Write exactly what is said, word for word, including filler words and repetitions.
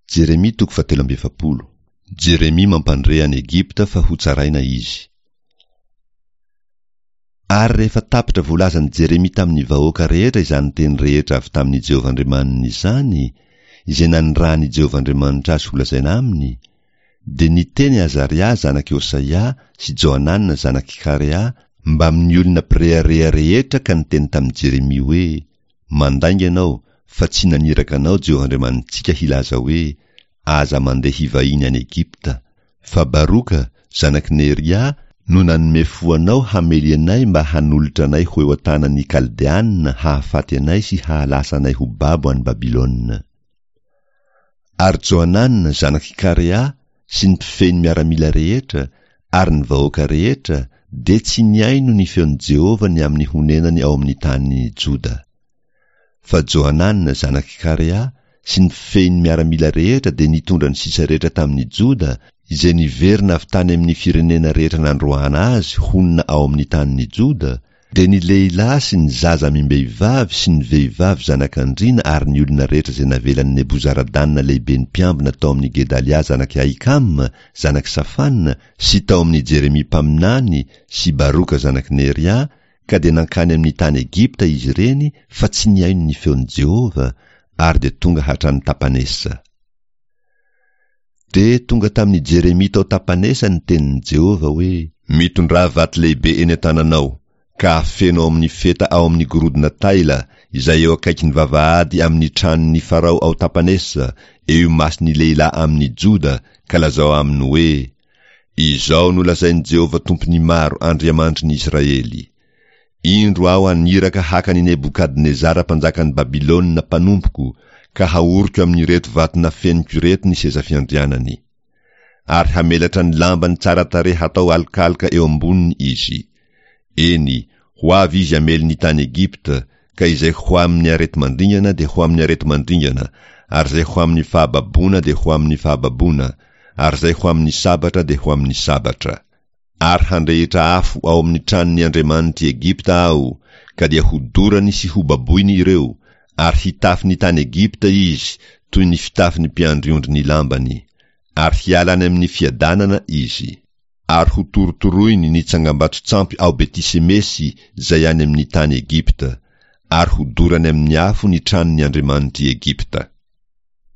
Jeremia toko fahatelo amby efapolo. Jeremia mampandre an'i Egypta fa hotsaraina izy. Ary rehefa tapitra voalazan'i Jeremia tamin'ny vahoaka rehetra izany teny rehetra avy tamin'i Jehovah Andriamaniny izany, izay nanirahan'i Jehovah Andriamanitra azy holazaina aminy, dia niteny Azaria zanak'i Hosaia sy Johanana zanak'i Karea mbamin'ny olona mpirehareha rehetra ka niteny tamin'i Jeremia hoe, Mandainga ianao, fa tsy naniraka anao Jehovah Andriamanitsika hilaza hoe, Aza mandeha hivahiny any Egypta. Fa Baroka, zanak'i Neria, no nanome fo anao hamely anay mba hanolotra anay ho eo an-tanan'ny Kaldeana hahafaty anay sy hahalasa anay ho babo any Babylona. Ary Johanana, zanak'i Karea, sy ny mpifehy ny miaramila rehetra, ary ny vahoaka rehetra, dia tsy nihaino ny feon'i Jehovah ny amin'ny honenany ao amin'ny tanin'i Joda. Fa Johanana, zanak'i Karea, sy ny mpifehy ny miaramila rehetra dia nitondra ny sisa rehetra tamin'i Joda, izay niverina avy tany amin'ny firenena rehetra nandroahana azy honina ao amin'ny tanin'i Joda, dia ny lehilahy sy ny zaza amim-behivavy sy ny vehivavy zanak'andriana ary ny olona rehetra izay navelan'i Nebozaradana lehiben'ny mpiambina tao amin'i Gedalia zanak'i Ahikama zanak'i Safana sy tao amin'i Jeremia mpaminany sy Baroka zanak'i Neria, ka dia nankany amin'ny tany Egypta izy ireny fa tsy nihaino ny feon'i Jehovah, ary dia tonga hatrany Tapanesa. Dia tonga tamin'i Jeremia tao Tapanesa ny tenin'i Jehovah hoe, Mitondrà vato lehibe eny an-tananao, ka afeno ao amin'ny feta ao amin'ny gorodona taila, izay eo akaikin'ny vavahady amin'ny tranon'ny Farao ao Tapanesa, eo imason'ny lehilahy amin'ny Joda, ka lazao aminy hoe, Izao no lazain'i Jehovah Tompon'ny maro, Andriamanitry ny Israely, Indro aho haniraka haka an'i Nebokadnezara mpanjakan'i Babylona mpanompoko, ka haoriko amin'ireto vato nafeniko ireto ny seza fiandrianany. Ary hamelatra ny lambany tsara tarehy hatao alokaloka eo amboniny izy. Eny, ho avy izy hamely ny tany Egypta, ka izay ho amin'ny areti-mandringana dia ho amin'ny areti-mandringana, ary izay ho amin'ny fahababoana dia ho amin'ny fahababoana, ary izay ho amin'ny sabatra dia ho amin'ny sabatra. Ary handrehitra afo ao amin'ny tranon'ny andriamanitr'i Egypta Aho, ka dia hodorany sy hobaboiny ireo, ary hitafy ny tany Egypta izy toy ny fitafin'ny mpiandry ondry ny lambany, ary hiala any amin'ny fiadanana izy. Ary hotorotoroiny ny tsangambato-tsampy ao Beti-semesy izay any amin'ny tany Egypta, ary hodorany amin'ny afo ny tranon'ny andriamanitr'i Egypta.